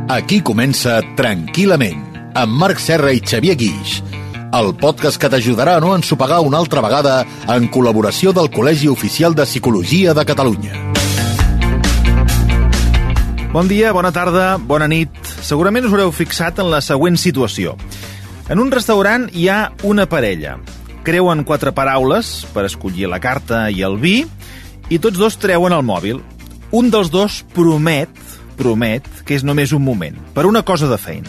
Aquí comença Tranquil·lament, amb Marc Serra i Xavier Guix, el podcast que t'ajudarà a no ensopegar una altra vegada en col·laboració del Col·legi Oficial de Psicologia de Catalunya. Bon dia, bona tarda, bona nit. Segurament us haureu fixat en la següent situació. En un restaurant hi ha una parella. Creuen 4 paraules per escollir la carta i el vi i tots dos treuen el mòbil. Un dels dos promet que és només un moment, per una cosa de feina.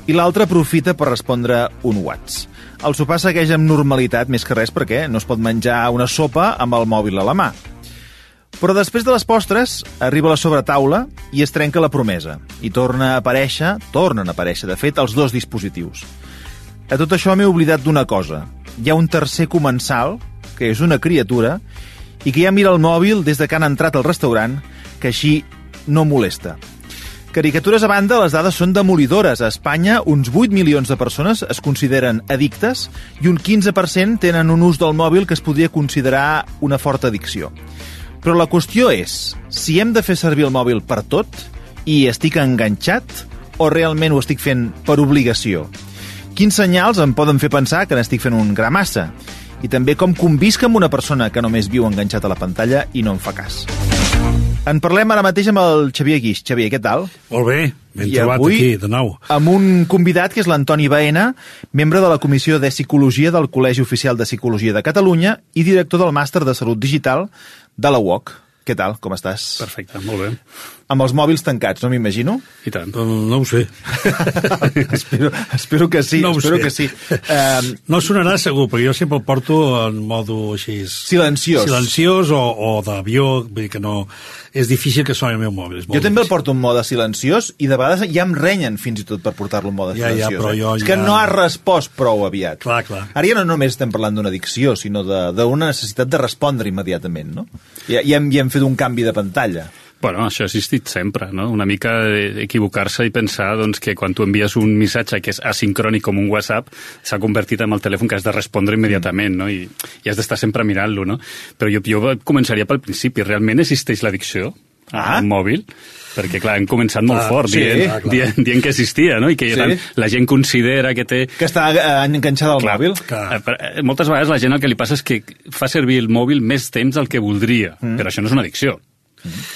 I l'altre aprofita per respondre un WhatsApp. El sopar segueix amb normalitat, més que res perquè no es pot menjar una sopa amb el mòbil a la mà. Però després de les postres, arriba la sobretaula i es trenca la promesa. I tornen a aparèixer, de fet, els dos dispositius. A tot això m'he oblidat d'una cosa. Hi ha un tercer comensal, que és una criatura, i que ja mira el mòbil des de que han entrat al restaurant, que així no molesta. Caricatures a banda, les dades són demolidores. A Espanya, uns 8 milions de persones es consideren addictes i un 15% tenen un ús del mòbil que es podria considerar una forta addicció. Però la qüestió és si hem de fer servir el mòbil per tot i estic enganxat o realment ho estic fent per obligació. Quins senyals em poden fer pensar que n'estic fent un gra massa? I també com convisc amb una persona que només viu enganxat a la pantalla i no em fa cas. En parlem ara mateix amb el Xavier Guix. Xavier, què tal? Molt bé, ben trobat aquí, de nou. Amb un convidat que és l'Antoni Baena, membre de la Comissió de Psicologia del Col·legi Oficial de Psicologia de Catalunya i director del Màster de Salut Digital de la UOC. Què tal? Com estàs? Perfecte, molt bé. Amb els mòbils tancats, no m'imagino? I tant. No ho sé. espero que sí. No ho espero sé. que sí. No sonarà segur, perquè jo sempre el porto en modo així... Silenciós o d'avió, vull dir que no... És difícil que soni el meu mòbil. Jo també el porto en mode silenciós i de vegades ja em renyen fins i tot per portar-lo en mode silenciós. Però jo és que no has respost prou aviat. Clar. Ara ja no només estem parlant d'una addicció, sinó d'una necessitat de respondre immediatament, no? Ja hem fet un canvi de pantalla. Bueno, això ha existit sempre, no? Una mica equivocar-se i pensar doncs, que quan tu envies un missatge que és asincrònic com un WhatsApp, s'ha convertit en el telèfon que has de respondre immediatament, no? I has d'estar sempre mirant-lo, no? Però jo començaria pel principi. Realment existeix l'addicció al mòbil? Perquè, clar, hem començat molt fort dient que existia, no? I que la gent considera que té... Que està enganxada al mòbil. Moltes vegades la gent el que li passa és que fa servir el mòbil més temps del que voldria, però això no és una addicció.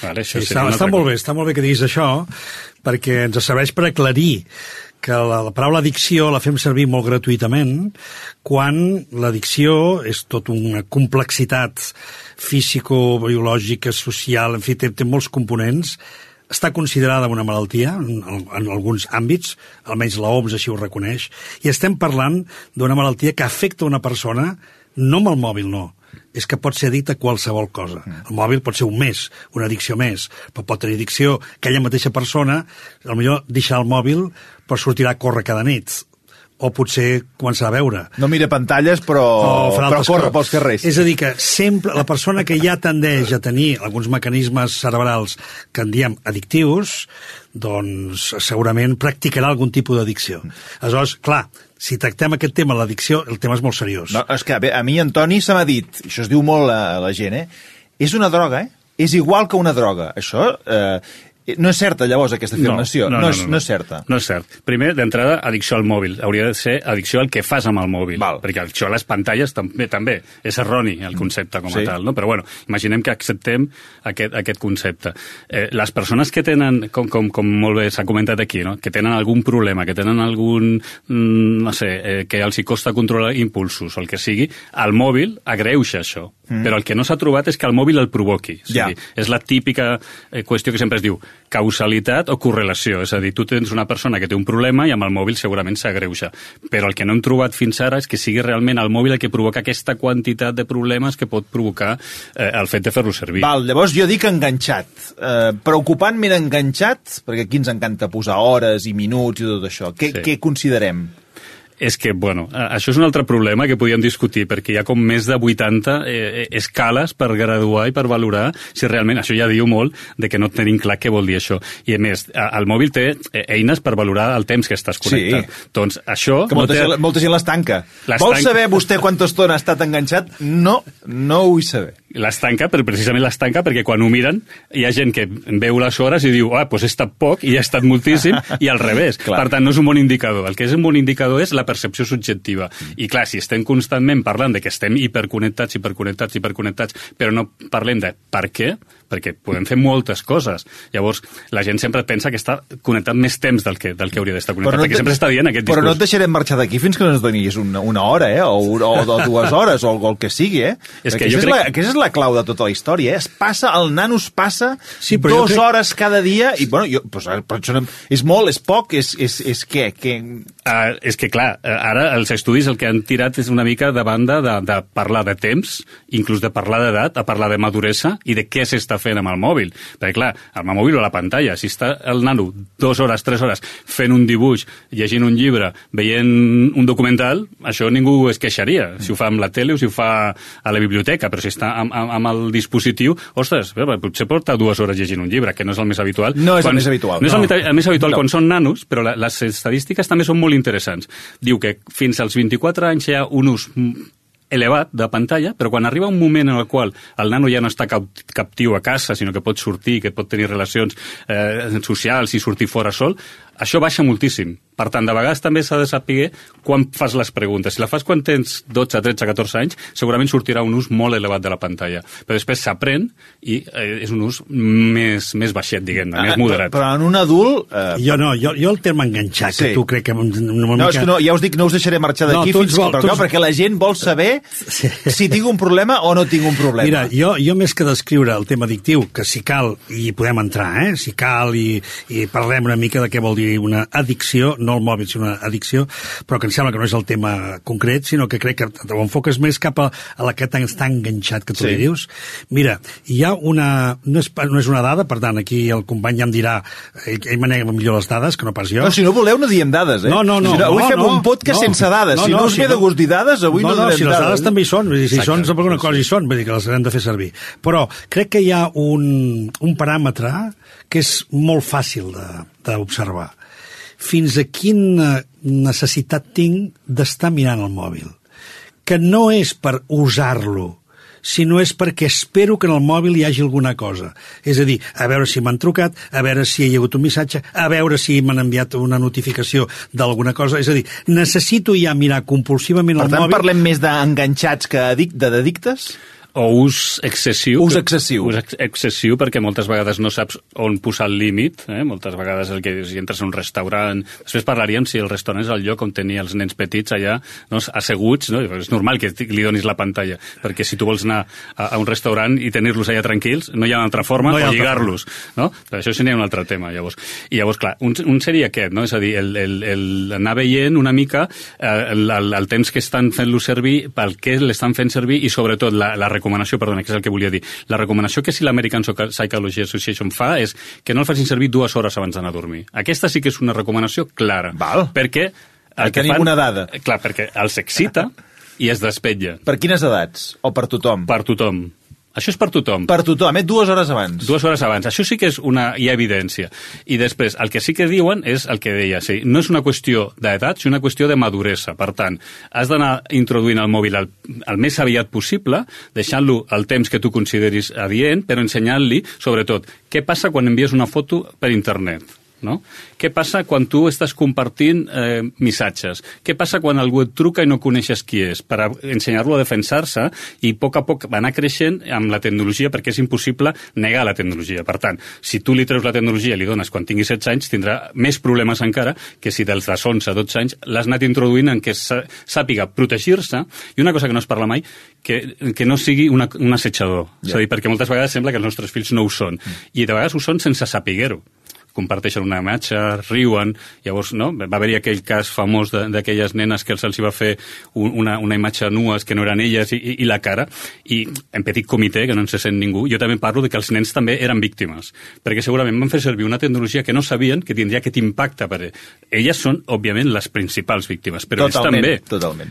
Vale, està molt bé que diguis això, perquè ens serveix per aclarir que la paraula addicció la fem servir molt gratuïtament quan l'addicció és tot una complexitat físico-biològica, social, en fi, té molts components. Està considerada una malaltia en alguns àmbits, almenys l'OMS així ho reconeix, i estem parlant d'una malaltia que afecta una persona no amb el mòbil, no. És que pot ser addicte a qualsevol cosa. El mòbil pot ser una addicció més, però pot tenir addicció aquella mateixa persona, potser deixar el mòbil per sortir a córrer cada nit, o potser començar a veure. No mira pantalles, però corre pels carrers. És a dir, que sempre la persona que ja tendeix a tenir alguns mecanismes cerebrals que en diem addictius, doncs segurament practicarà algun tipus d'addicció. Aleshores, clar, si tractem aquest tema, l'addicció, el tema és molt seriós. No, és que a mi, Antoni, se m'ha dit, això es diu molt a la gent, és una droga, és igual que una droga. Això no és certa, llavors, aquesta afirmació. No és certa. No és cert. Primer, d'entrada, addicció al mòbil. Hauria de ser addicció al que fas amb el mòbil. Perquè addicció a les pantalles també. És erroni el concepte com a tal, no? Però bueno, imaginem que acceptem aquest concepte. Les persones que tenen, com molt bé s'ha comentat aquí, no? Que tenen algun problema, que tenen algun, no sé, que els hi costa controlar impulsos o el que sigui, el mòbil agreuja això. Però el que no s'ha trobat és que el mòbil el provoqui. És la típica qüestió que sempre es diu causalitat o correlació. És a dir, tu tens una persona que té un problema i amb el mòbil segurament s'agreuja. Però el que no hem trobat fins ara és que sigui realment el mòbil el que provoca aquesta quantitat de problemes que pot provocar el fet de fer-lo servir. Llavors jo dic enganxat. Preocupantment enganxat, perquè aquí ens encanta posar hores i minuts i tot això. Què considerem? És que, bueno, això és un altre problema que podíem discutir, perquè hi ha com més de 80 escales per graduar i per valorar si realment, això ja diu molt, de que no tenim clar què vol dir això. I a més, el mòbil té eines per valorar el temps que estàs connectat. Doncs això... Que molta gent les tanca. Vol saber vostè quanta estona ha estat enganxat? No ho vull saber. Les tanca, però precisament les tanca perquè quan ho miren hi ha gent que veu les hores i diu doncs he estat poc i ha estat moltíssim, i al revés. Per tant, no és un bon indicador. El que és un bon indicador és la percepció subjectiva. I clar, si estem constantment parlant de que estem hiperconnectats, però no parlem de per què, perquè podem fer moltes coses. Llavors, la gent sempre pensa que està connectat més temps del que hauria d'estar connectat, perquè sempre està dient aquest discurs. Però no et deixarem marxar d'aquí fins que no ens donis una hora, o 2 hores, o el que sigui, És que aquesta és la clau de tota la història, el nano es passa 2 hores cada dia, i bueno, però això és molt, és poc, és què? És que clar, ara els estudis el que han tirat és una mica de banda de parlar de temps, inclús de parlar d'edat, a parlar de maduresa i de què s'està fent amb el mòbil. Perquè clar, amb el mòbil o la pantalla, si està el nano 2 hores, 3 hores fent un dibuix, llegint un llibre, veient un documental, això ningú es queixaria. Si ho fa amb la tele o si ho fa a la biblioteca, però si està amb el dispositiu, ostres, potser porta 2 hores llegint un llibre, que no és el més habitual. No és el més habitual. No és el més habitual quan són nanos, però les estadístiques també són molt interessants. Diu que fins als 24 anys hi ha un ús elevat de pantalla, però quan arriba un moment en el qual el nano ja no està captiu a casa, sinó que pot sortir, que pot tenir relacions socials i sortir fora sol, això baixa moltíssim. Per tant, de vegades també s'ha de saber quan fas les preguntes. Si la fas quan tens 12, 13, 14 anys, segurament sortirà un ús molt elevat de la pantalla. Però després s'aprèn i és un ús més baixet, diguem-ne, més moderat. Però en un adult... Jo el terme enganxat, que tu crec que... Ja us dic, no us deixaré marxar d'aquí perquè la gent vol saber si tinc un problema o no tinc un problema. Mira, jo més que descriure el tema addictiu, que si cal, i podem entrar, si cal, i parlem una mica de què vol dir una addicció, no el mòbil, sinó una addicció, però que em sembla que no és el tema concret, sinó que crec que ho enfoques més cap a la que està enganxat, que tu li dius. Mira, hi ha una... No és una dada, per tant, aquí el company ja em dirà, ell manega millor les dades, que no pas jo. No, si no voleu no diem dades, No. Avui fem un podcast sense dades. Si no us ve de gust dir dades, avui no donem dades. Si les dades també hi són, si són per alguna cosa hi són, vull dir que les hem de fer servir. Però crec que hi ha un paràmetre que és molt fàcil d'observar. Fins a quina necessitat tinc d'estar mirant el mòbil. Que no és per usar-lo, sinó és perquè espero que en el mòbil hi hagi alguna cosa. És a dir, a veure si m'han trucat, a veure si hi ha hagut un missatge, a veure si m'han enviat una notificació d'alguna cosa. És a dir, necessito ja mirar compulsivament el mòbil... Per tant, parlem més d'enganxats que d'addictes? O ús excessiu. Ús excessiu. Ús excessiu, perquè moltes vegades no saps on posar el límit. Moltes vegades si entres a un restaurant... Després parlaríem si el restaurant és el lloc on tenia els nens petits allà, asseguts. És normal que li donis la pantalla, perquè si tu vols anar a un restaurant i tenir-los allà tranquils, no hi ha una altra forma o lligar-los. Però això seria un altre tema, llavors. I llavors, clar, un seria aquest, és a dir, anar veient una mica el temps que estan fent-lo servir, pel què l'estan fent servir i, sobretot, la recomanació, perdona, que és el que volia dir. La recomanació que si l'American Psychology Association fa és que no el facin servir 2 hores abans d'anar a dormir. Aquesta sí que és una recomanació clara. Val. Perquè... Tenim una dada. Clar, perquè els excita i es despetlla. Per quines edats? O per tothom? Per tothom. Això és per tothom. Per tothom, 2 hores abans. 2 hores abans. Això sí que és hi ha evidència. I després, el que sí que diuen és el que deia, sí, no és una qüestió d'edat, sinó una qüestió de maduresa. Per tant, has d'anar introduint el mòbil el més aviat possible, deixant-lo el temps que tu consideris adient, però ensenyant-li, sobretot, què passa quan envies una foto per internet. Què passa quan tu estàs compartint missatges? Què passa quan algú et truca i no coneixes qui és? Per ensenyar-lo a defensar-se i a poc va anar creixent amb la tecnologia, perquè és impossible negar la tecnologia. Per tant, si tu li treus la tecnologia i li dones quan tingui 16 anys, tindrà més problemes encara que si dels 11, 12 anys l'has anat introduint en què sàpiga protegir-se, i una cosa que no es parla mai, que no sigui un assetjador. És a dir, perquè moltes vegades sembla que els nostres fills no ho són. I de vegades ho són sense saber-ho. Comparteixen una imatge, riuen, llavors va haver-hi aquell cas famós d'aquelles nenes que se'ls va fer una imatge nues que no eren elles i la cara, i en petit comitè, que no en se sent ningú, jo també parlo de que els nens també eren víctimes, perquè segurament van fer servir una tecnologia que no sabien que tindria aquest impacte per elles. Són, òbviament, les principals víctimes, però totalment.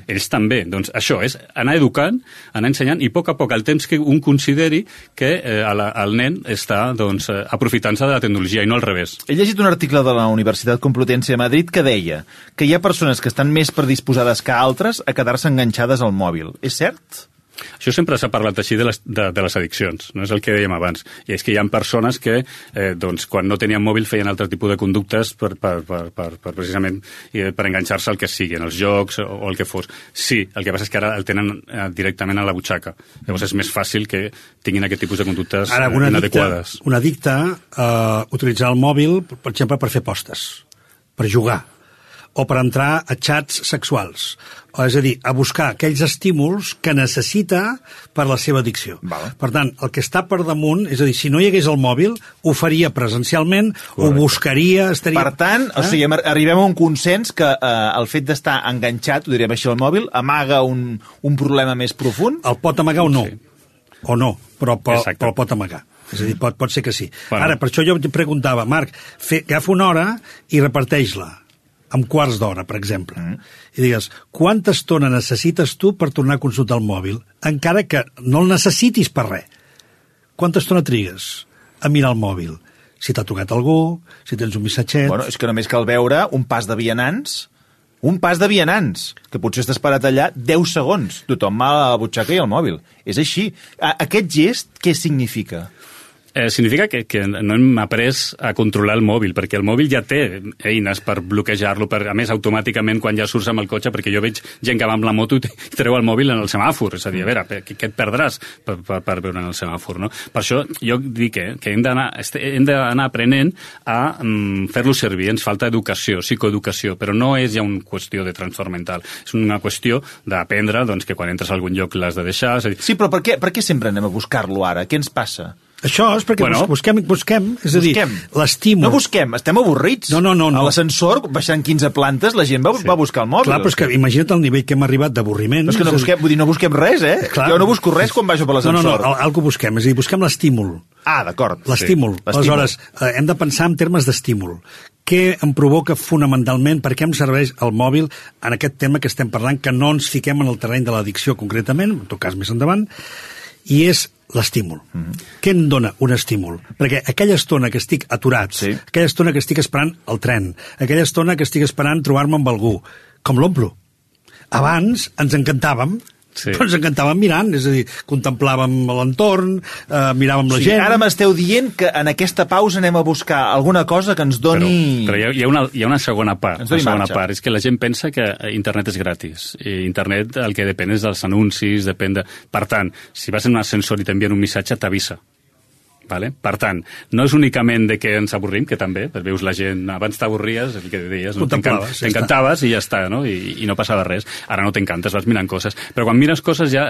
Ells també. Doncs això és anar educant, anar ensenyant, i a poc el temps que un consideri que el nen està aprofitant-se de la tecnologia i no al revés. He llegit un article de la Universitat Complutense de Madrid que deia que hi ha persones que estan més predisposades que altres a quedar-se enganxades al mòbil. És cert? Això sempre s'ha parlat així de les addiccions, no és el que dèiem abans. I és que hi ha persones que, doncs, quan no tenien mòbil feien altre tipus de conductes per precisament per enganxar-se al que sigui, en els jocs o el que fos. Sí, el que passa és que ara el tenen directament a la butxaca. Llavors és més fàcil que tinguin aquest tipus de conductes inadequades. Un addicte utilitzar el mòbil, per exemple, per fer postes, per jugar, o per entrar a xats sexuals. És a dir, a buscar aquells estímuls que necessita per la seva addicció. Vale. Per tant, el que està per damunt, és a dir, si no hi hagués el mòbil, ho faria presencialment, ho buscaria... Estaria... Per tant, o sigui, arribem a un consens que el fet d'estar enganxat, ho direm així, al mòbil, amaga un problema més profund? El pot amagar o no. Sí. O no, però el pot amagar. És a dir, pot ser que sí. Bueno. Ara, per això jo em preguntava, Marc, agafa una hora i reparteix-la amb quarts d'hora, per exemple. I digues, quanta estona necessites tu per tornar a consultar el mòbil, encara que no el necessitis per res? Quanta estona trigues a mirar el mòbil? Si t'ha tocat algú, si tens un missatget... Bueno, és que només cal veure un pas de vianants, que potser estàs parat allà 10 segons. Tothom va a la butxaca i al mòbil. És així. Aquest gest, què significa? Significa que no hem après a controlar el mòbil, perquè el mòbil ja té eines per bloquejar-lo, a més, automàticament, quan ja surts amb el cotxe, perquè jo veig gent que va amb la moto i treu el mòbil en el semàfor. És a dir, a veure, què et perdràs per veure en el semàfor, no? Per això jo dic que hem d'anar aprenent a fer-lo servir. Ens falta educació, psicoeducació, però no és ja una qüestió de trastorn mental. És una qüestió d'aprendre que quan entres a algun lloc l'has de deixar. Sí, però per què sempre anem a buscar-lo ara? Què ens passa? Això és perquè busquem, és a dir, l'estímul... No busquem, estem avorrits. No. A l'ascensor, baixant 15 plantes, la gent va a buscar el mòbil. Clar, però és que imagina't el nivell que hem arribat d'avorriment. No, és que no busquem res, eh? Clar. Jo no busco res quan baixo per l'ascensor. No, algo busquem, és a dir, busquem l'estímul. Ah, d'acord. L'estímul. Sí. Aleshores, hem de pensar en termes d'estímul. Què em provoca fonamentalment, per què em serveix el mòbil en aquest tema que estem parlant, que no ens fiquem en el terreny de l'addicció concretament, en tot cas més endavant, i és l'estímul. Què em dona un estímul? Perquè aquella estona que estic aturat, aquella estona que estic esperant el tren, aquella estona que estic esperant trobar-me amb algú, com l'omplo? Abans ens encantàvem, però ens encantàvem mirant, és a dir, contemplàvem l'entorn, miràvem la gent... Ara m'esteu dient que en aquesta pausa anem a buscar alguna cosa que ens doni... Però hi ha una segona part. És que la gent pensa que internet és gratis. I internet el que depèn és dels anuncis, Per tant, si vas en un ascensor i t'envien un missatge, t'avisa. Vale? Per tant, no és únicament de que ens avorrim, que també, veus la gent, abans t'avorries, el que deies, no? T'encantaves i ja està, no? I no passava res. Ara no t'encantes, vas mirant coses. Però quan mires coses ja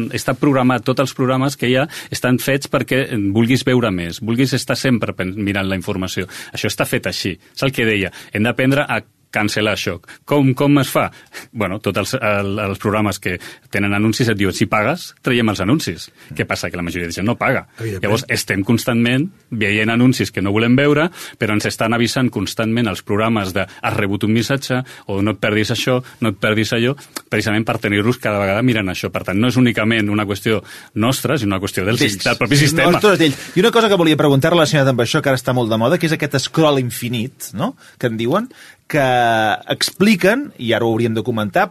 està programat, tots els programes que hi ha estan fets perquè vulguis veure més, vulguis estar sempre mirant la informació. Això està fet així. És el que deia. Hem d'aprendre a cancel·lar això. Com es fa? Bueno, tots els programes que tenen anuncis et diuen, si pagues, traiem els anuncis. Què passa? Que la majoria de gent no paga. Llavors, estem constantment veient anuncis que no volem veure, però ens estan avisant constantment els programes de has rebut un missatge, o no et perdis això, no et perdis allò, precisament per tenir-los cada vegada mirant això. Per tant, no és únicament una qüestió nostra, sinó una qüestió del propi sistema. I una cosa que volia preguntar relacionada amb això, que ara està molt de moda, que és aquest scroll infinit, no?, que en diuen, que expliquen, i ara ho hauríem de comentar,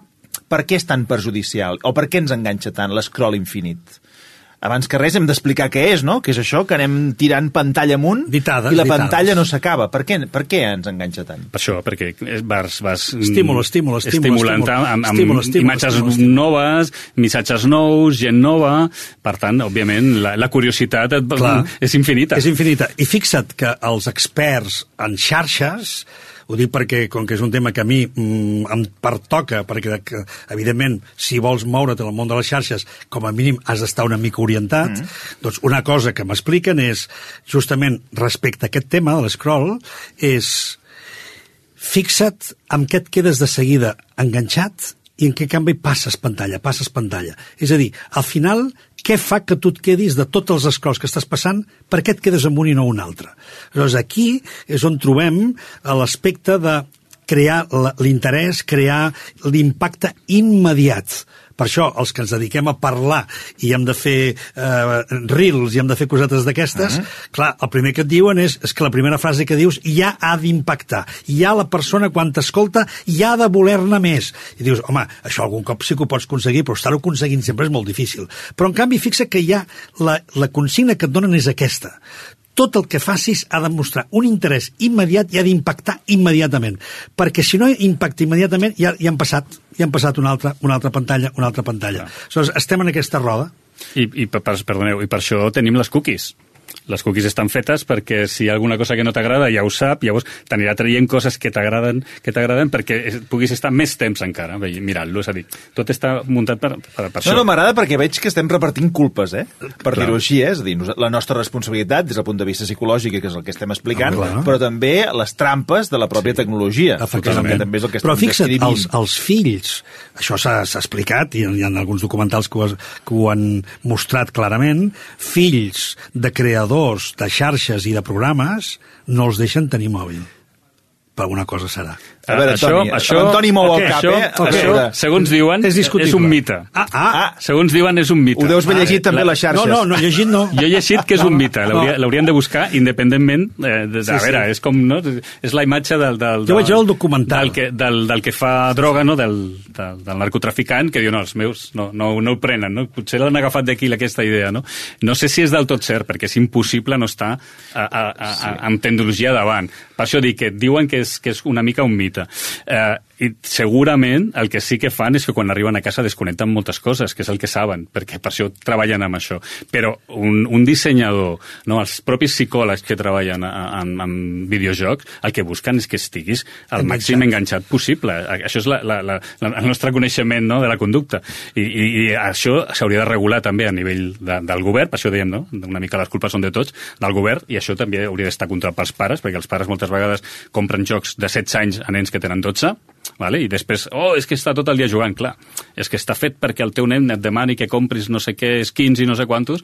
per què és tan perjudicial, o per què ens enganxa tant l'escroll infinit. Abans que res hem d'explicar què és, no? Que és això, que anem tirant pantalla amunt i la pantalla no s'acaba. Per què ens enganxa tant? Per això, perquè vas estimulant amb imatges noves, missatges nous, gent nova. Per tant, òbviament, la curiositat és infinita. És infinita. I fixa't que els experts en xarxes, ho dic perquè, com que és un tema que a mi em pertoca, perquè, evidentment, si vols moure't en el món de les xarxes, com a mínim has d'estar una mica orientat, doncs una cosa que m'expliquen és, justament respecte a aquest tema de l'escroll, és fixa't amb què et quedes de seguida enganxat i en què canvi passes pantalla. És a dir, al final, què fa que tu et quedis de tots els scrolls que estàs passant, per què et quedes amb un i no un altre? Llavors, aquí és on trobem l'aspecte de crear l'interès, crear l'impacte immediat. Per això, els que ens dediquem a parlar i hem de fer reels i hem de fer cosetes d'aquestes, clar, el primer que et diuen és que la primera frase que dius ja ha d'impactar. Ja la persona, quan t'escolta, ja ha de voler-ne més. I dius, home, això algun cop sí que ho pots aconseguir, però estar-ho aconseguint sempre és molt difícil. Però, en canvi, fixa que ja la consigna que et donen és aquesta. Tot el que facis ha de mostrar un interès immediat i ha d'impactar immediatament. Perquè si no impacta immediatament, ja han passat una altra pantalla. Aleshores, estem en aquesta roda. Perdoneu, i per això tenim les cookies. Les cookies estan fetes perquè si hi ha alguna cosa que no t'agrada ja ho sap, llavors t'anirà traient coses que t'agraden perquè puguis estar més temps encara mirant-lo, és a dir, tot està muntat per això. No, m'agrada perquè veig que estem repartint culpes, per dir-ho així, és a dir, la nostra responsabilitat des del punt de vista psicològic, que és el que estem explicant, però també les trampes de la pròpia tecnologia, que també és el que estem descrivint. Però fixa't, els fills, això s'ha explicat, i hi ha alguns documentals que ho han mostrat clarament, fills de creadors de xarxes i de programes no els deixen tenir mòbil. Per alguna cosa serà. A veure, Antoni mou el cap, Això, segons diuen, és un mite. Segons diuen, és un mite. Ho deus haver llegit també a les xarxes. No, llegit no. Jo he llegit que és un mite. L'haurien de buscar independentment. A veure, és com, no? És la imatge del jo vaig veure el documental. Del que fa droga, no? Del narcotraficant, que diu, no, els meus no ho prenen, no? Potser l'han agafat d'aquí aquesta idea, no? No sé si és del tot cert, perquè és impossible no estar amb tecnologia davant. Per això dic que diuen que és una mica un mite. I segurament el que sí que fan és que quan arriben a casa desconnecten moltes coses, que és el que saben, perquè per això treballen amb això. Però un dissenyador, no, els propis psicòlegs que treballen en videojocs, el que busquen és que estiguis al màxim enganxat possible. Això és el nostre coneixement, no, de la conducta. I això s'hauria de regular també a nivell del govern, per això dèiem, no? Una mica les culpes són de tots, del govern, i això també hauria d'estar controlat pels pares, perquè els pares moltes vegades compren jocs de 16 anys a nens que tenen 12, vale? I després, és que està tot el dia jugant, clar. És que està fet perquè el teu nen et demani que compris no sé què, skins i no sé quantos,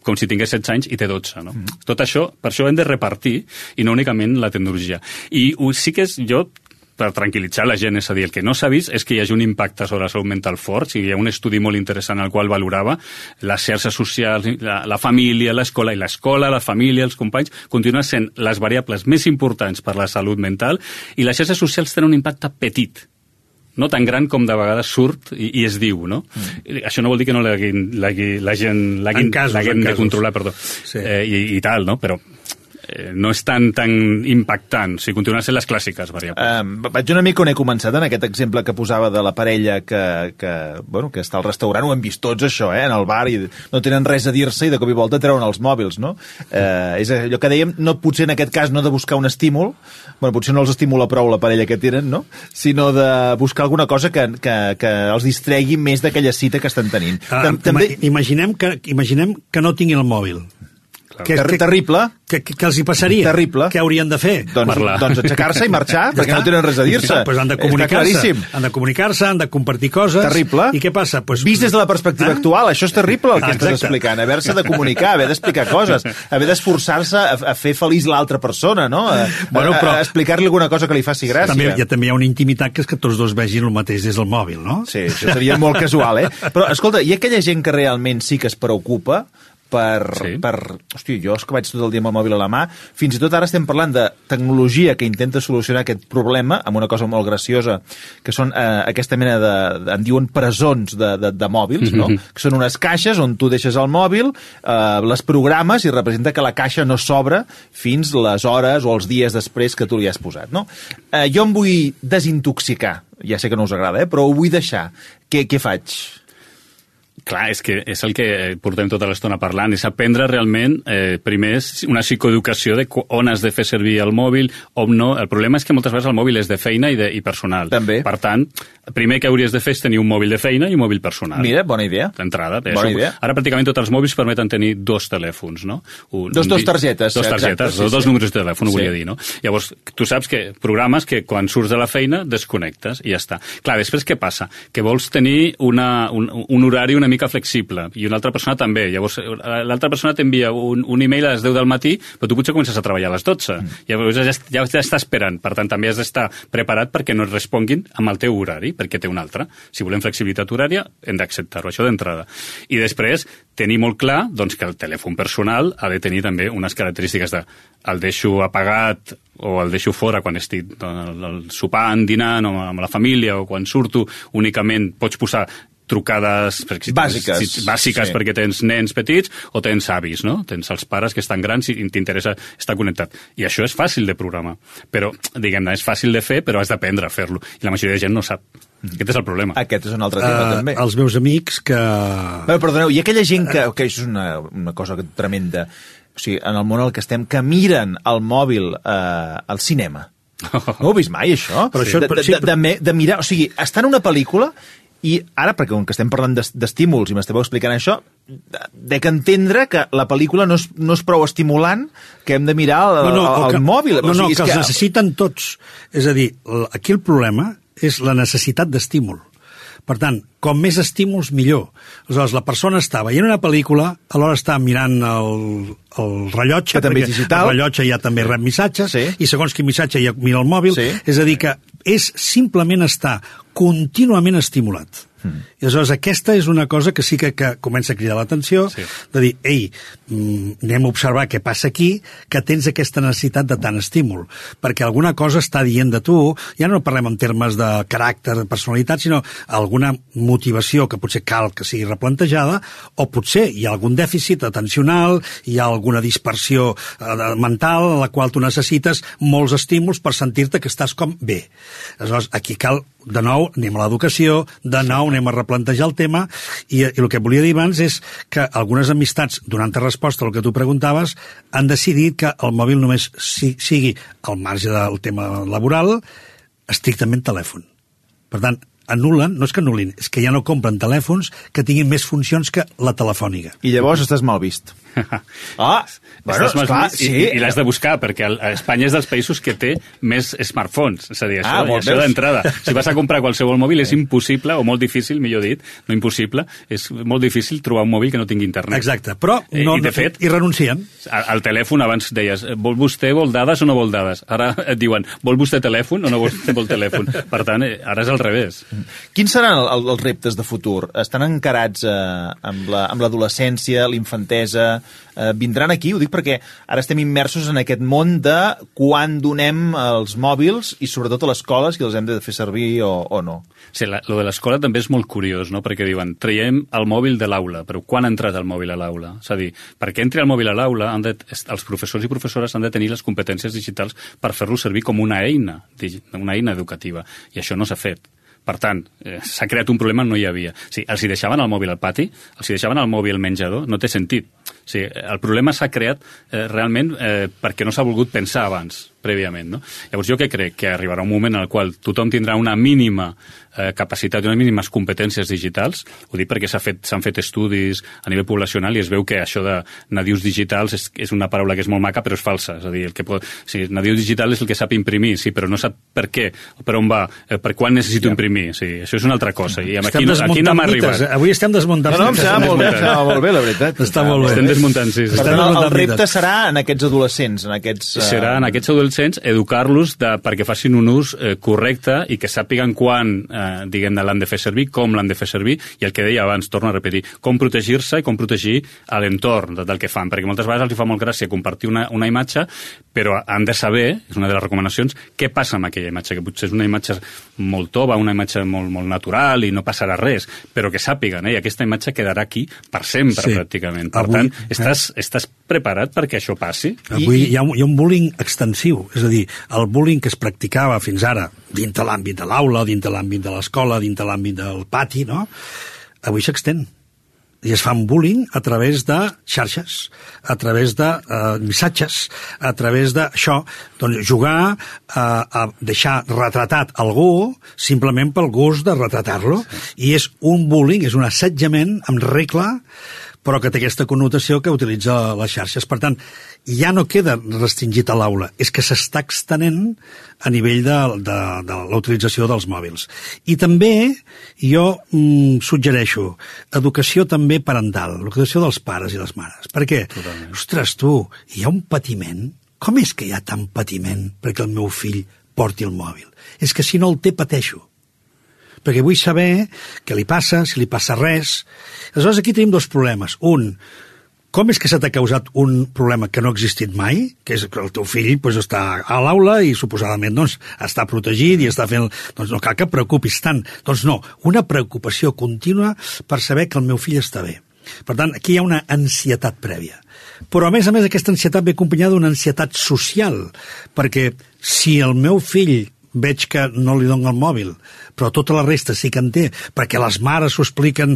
com si tingués 16 anys i té 12, no? Tot això, per això hem de repartir, i no únicament la tecnologia. I sí que jo, per tranquil·litzar la gent, és a dir, el que no s'ha vist és que hi hagi un impacte sobre la salut mental fort. Hi ha un estudi molt interessant al qual valorava les xarxes socials, la família, l'escola, i l'escola, la família, els companys, continuen sent les variables més importants per la salut mental, i les xarxes socials tenen un impacte petit, no tan gran com de vegades surt i es diu, no? Això no vol dir que no la gent l'haguem de controlar, perdó, i tal, no? Però no és tan impactant, si continuen sent les clàssiques variables. Vaig una mica on he començat, en aquest exemple que posava de la parella que està al restaurant, ho hem vist tots això, en el bar, i no tenen res a dir-se i de cop i volta treuen els mòbils, no? És allò que dèiem, potser en aquest cas no de buscar un estímul, potser no els estimula prou la parella que tenen, no? Sinó de buscar alguna cosa que els distregui més d'aquella cita que estan tenint. Imaginem que no tinguin el mòbil. Terrible. Què els hi passaria? Terrible. Què haurien de fer? Doncs aixecar-se i marxar, perquè no tenen res a dir-se. Han de comunicar-se, han de compartir coses. Terrible. I què passa? Vist des de la perspectiva actual, això és terrible el que estàs explicant. Haver-se de comunicar, haver d'explicar coses, haver d'esforçar-se a fer feliç l'altra persona, no? A explicar-li alguna cosa que li faci gràcia. També hi ha una intimitat que és que tots dos vegin el mateix des del mòbil, no? Sí, això seria molt casual, Però, escolta, hi ha aquella gent que realment sí que es preocupa hòstia, jo és que vaig tot el dia amb el mòbil a la mà, fins i tot ara estem parlant de tecnologia que intenta solucionar aquest problema amb una cosa molt graciosa, que són aquesta mena en diuen presons de mòbils, no? Que són unes caixes on tu deixes el mòbil, les programes i representa que la caixa no s'obre fins les hores o els dies després que tu li has posat, no? Jo em vull desintoxicar, ja sé que no us agrada, però ho vull deixar. Què faig? Clar, és que és el que portem tota l'estona parlant, és aprendre realment, primer, una psicoeducació de on has de fer servir el mòbil, on no. El problema és que moltes vegades el mòbil és de feina i personal. També. Per tant, primer que hauries de fer és tenir un mòbil de feina i un mòbil personal. Mira, bona idea. D'entrada. Ara pràcticament tots els mòbils permeten tenir dos telèfons, no? Dos targetes. Dos targetes, dos números de telèfon, ho volia dir, no? Llavors, tu saps que programes que quan surts de la feina desconnectes i ja està. Clar, després què passa? Que vols tenir un horari una mica flexible, i una altra persona també. Llavors, l'altra persona t'envia un email a les 10 del matí, però tu potser comences a treballar a les 12. Llavors ja està esperant. Per tant, també has d'estar preparat perquè no et responguin amb el teu horari, perquè té un altre. Si volem flexibilitat horària, hem d'acceptar-ho, això d'entrada. I després, tenir molt clar doncs, que el telèfon personal ha de tenir també unes característiques de el deixo apagat o el deixo fora quan estic sopant, dinant o amb la família o quan surto, únicament pots posar trucades bàsiques sí. Perquè tens nens petits o tens avis, no? Tens els pares que estan grans i t'interessa estar connectat. I això és fàcil de programar. Però, diguem-ne, és fàcil de fer, però has d'aprendre a fer-lo. I la majoria de gent no sap. Aquest és el problema. Aquest és un altre tema, també. Els meus amics que... Perdoneu, hi ha aquella gent que això és una cosa tremenda, o sigui, en el món en què estem, que miren el mòbil al cinema. No ho he vist mai, això? Però això de mirar, o sigui, estar en una pel·lícula i ara, perquè com que estem parlant d'estímuls i m'esteu explicant això, dec entendre que la pel·lícula no és prou estimulant, que hem de mirar el mòbil. No, que els necessiten tots. És a dir, aquí el problema és la necessitat d'estímul. Per tant, com més estímuls, millor. Aleshores, la persona està veient una pel·lícula, alhora està mirant el rellotge, que també és digital. El rellotge ja també rep missatges, sí. I segons quin missatge ja mira el mòbil. Sí. És a dir, que és simplement estar contínuament estimulat. I aleshores aquesta és una cosa que sí que comença a cridar l'atenció, sí. De dir, ei, anem a observar què passa aquí, que tens aquesta necessitat de tant estímul, perquè alguna cosa està dient de tu, ja no parlem en termes de caràcter, de personalitat, sinó alguna motivació que potser cal que sigui replantejada, o potser hi ha algun dèficit atencional, hi ha alguna dispersió mental en la qual tu necessites molts estímuls per sentir-te que estàs com bé. Aleshores, aquí cal, de nou, anem a l'educació, de nou anem a replantejar el tema, i el que volia dir abans és que algunes amistats, donant-te resposta al que tu preguntaves, han decidit que el mòbil només sigui, al marge del tema laboral, estrictament telèfon. Per tant, anul·len, no és que anul·lin, és que ja no compren telèfons que tinguin més funcions que la telefònica. I llavors estàs mal vist. Bueno, esclar, sí. I l'has de buscar, perquè Espanya és dels països que té més smartphones. És a dir, això d'entrada. Si vas a comprar qualsevol mòbil és impossible, o molt difícil, millor dit, no impossible, és molt difícil trobar un mòbil que no tingui internet. Exacte, però de fet, hi renuncien. Al telèfon abans deies, vostè vol dades o no vol dades? Ara et diuen, vol vostè telèfon o no vol telèfon? Per tant, ara és al revés. Quins seran els reptes de futur? Estan encarats amb l'adolescència, l'infantesa? Vindran aquí, ho dic perquè ara estem immersos en aquest món de quan donem els mòbils i sobretot a l'escola si els hem de fer servir o no. Sí, lo de l'escola també és molt curiós, no? Perquè diuen, traiem el mòbil de l'aula, però quan ha entrat el mòbil a l'aula? És a dir, perquè entri el mòbil a l'aula, els professors i professores han de tenir les competències digitals per fer-lo servir com una eina educativa, i això no s'ha fet. Per tant, s'ha creat un problema, no hi havia. Sí, els hi deixaven el mòbil al pati, els hi deixaven el mòbil al menjador, no té sentit. Sí, el problema s'ha creat realment perquè no s'ha volgut pensar abans, prèviament. No? Llavors jo crec que arribarà un moment en el qual tothom tindrà una mínima capacitat i unes mínimes competències digitals. Ho dic perquè s'han fet estudis a nivell poblacional i es veu que això de nadius digitals és una paraula que és molt maca però és falsa. És a dir, nadiu digital és el que sap imprimir, sí, però no sap per què, per on va, per quan necessito imprimir. Sí, això és una altra cosa. I aquí no m'ha arribat. Avui estem desmuntant. No, em sembla molt bé, la veritat. Està molt bé. Estem desmuntant, sí. Per tant, el repte serà en aquests adolescents, Serà en aquests adolescents educar-los perquè facin un ús correcte i que sàpiguen quan diguem-ne l'han de fer servir, com l'han de fer servir, i el que deia abans, torno a repetir, com protegir-se i com protegir l'entorn del que fan, perquè moltes vegades els fa molt gràcia compartir una imatge, però han de saber, és una de les recomanacions, què passa amb aquella imatge, que potser és una imatge molt tova, una imatge molt, molt natural i no passarà res, però que sàpiguen, i aquesta imatge quedarà aquí per sempre, pràcticament. Per tant, estàs preparat perquè això passi? Avui hi ha un bullying extensiu, és a dir, el bullying que es practicava fins ara dins de l'àmbit de l'aula, dins de l'àmbit de l'escola, dins de l'àmbit del pati, no? Avui s'extén. I es fa un bullying a través de xarxes, a través de missatges, a través d'això, doncs jugar a deixar retratat algú simplement pel gust de retratar-lo. I és un bullying, és un assetjament amb regla però que té aquesta connotació que utilitza les xarxes. Per tant, ja no queda restringit a l'aula, és que s'està extenent a nivell de la utilització dels mòbils. I també jo suggereixo educació també parental, l'educació dels pares i les mares. Per què? Totalment. Ostres, tu, hi ha un patiment? Com és que hi ha tant patiment perquè el meu fill porti el mòbil? És que si no el té, pateixo. Perquè vull saber què li passa, si li passa res. Aleshores, aquí tenim dos problemes. Un, com és que se t'ha causat un problema que no ha existit mai, que és que el teu fill està a l'aula i suposadament està protegit i està fent... Doncs no cal que et preocupis tant. Doncs no, una preocupació contínua per saber que el meu fill està bé. Per tant, aquí hi ha una ansietat prèvia. Però, a més, aquesta ansietat ve acompanyada d'una ansietat social, perquè si el meu fill veig que no li dono el mòbil, però tota la resta sí que en té, perquè les mares s'ho expliquen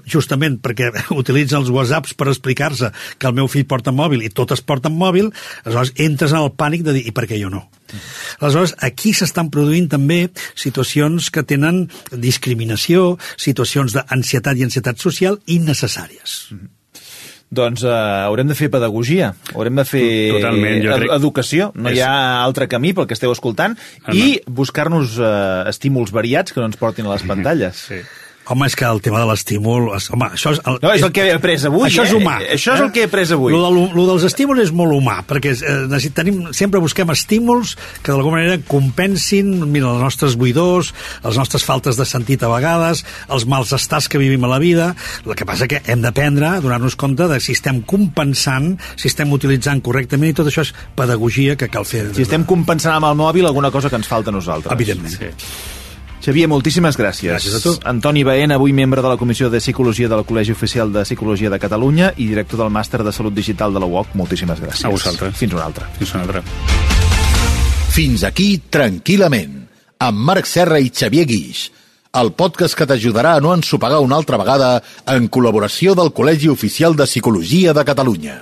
justament perquè utilitzen els whatsapps per explicar-se que el meu fill porta mòbil i totes porten mòbil, aleshores entres en el pànic de dir, i per què jo no? Aleshores, aquí s'estan produint també situacions que tenen discriminació, situacions d'ansietat i ansietat social innecessàries. Doncs haurem de fer pedagogia, haurem de fer educació, no hi ha altre camí pel que esteu escoltant, i buscar-nos estímuls variats que no ens portin a les pantalles. Sí. Home, és que el tema de l'estímul... Home, això és... No, és el que he après avui. Això és humà. Això és el que he après avui. Lo dels estímuls és molt humà, perquè sempre busquem estímuls que d'alguna manera compensin, mira, les nostres buidors, les nostres faltes de sentit a vegades, els mals estats que vivim a la vida. El que passa que hem d'aprendre a donar-nos compte de si estem compensant, si estem utilitzant correctament, i tot això és pedagogia que cal fer. Si estem compensant amb el mòbil alguna cosa que ens falta a nosaltres. Evidentment. Sí. Xavier, moltíssimes gràcies. Gràcies a tu. Antoni Baena, avui membre de la Comissió de Psicologia del Col·legi Oficial de Psicologia de Catalunya i director del Màster de Salut Digital de la UOC. Moltíssimes gràcies. A vosaltres. Fins una altra. Fins una altra. Fins aquí, tranquil·lament, amb Marc Serra i Xavier Guix, el podcast que t'ajudarà a no ensopegar una altra vegada en col·laboració del Col·legi Oficial de Psicologia de Catalunya.